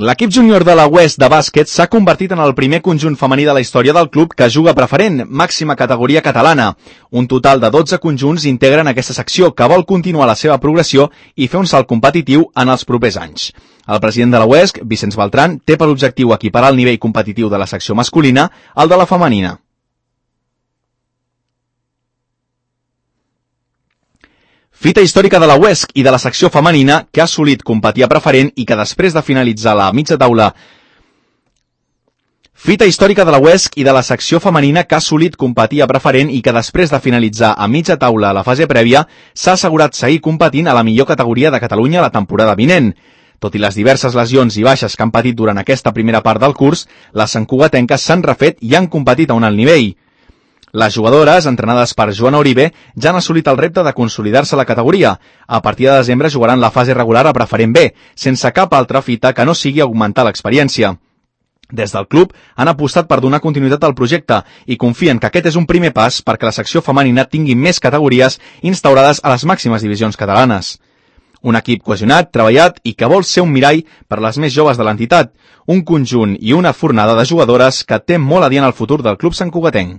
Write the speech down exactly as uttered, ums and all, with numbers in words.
L'equip júnior de la West de bàsquet s'ha convertit en el primer conjunt femení de la història del club que juga preferent, màxima categoria catalana. Un total de dotze conjunts integren aquesta secció que vol continuar la seva progressió i fer un salt competitiu en els propers anys. El president de la West, Vicenç Beltran, té per objectiu equiparar el nivell competitiu de la secció masculina al de la femenina. Fita històrica de la U E S C i de la secció femenina que ha assolit competir a preferent i que després de finalitzar la mitja taula Fita històrica de la U E S C i de la secció femenina que ha assolit competir a preferent i que després de finalitzar a mitja taula a la fase prèvia s'ha assegurat seguir competint a la millor categoria de Catalunya la temporada vinent. Tot i les diverses lesions i baixes que han patit durant aquesta primera part del curs, les santcugatenques s'han refet i han competit a un alt nivell. Les jugadores, entrenades per Joana Uribe, ja han assolit el repte de consolidar-se a la categoria. A partir de desembre jugaran la fase regular a preferent B, sense cap altra fita que no sigui augmentar l'experiència. Des del club han apostat per donar continuïtat al projecte i confien que aquest és un primer pas perquè la secció femenina tingui més categories instaurades a les màximes divisions catalanes. Un equip cohesionat, treballat i que vol ser un mirall per les més joves de l'entitat, un conjunt i una fornada de jugadores que té molt a dir en el futur del club santcugatenc.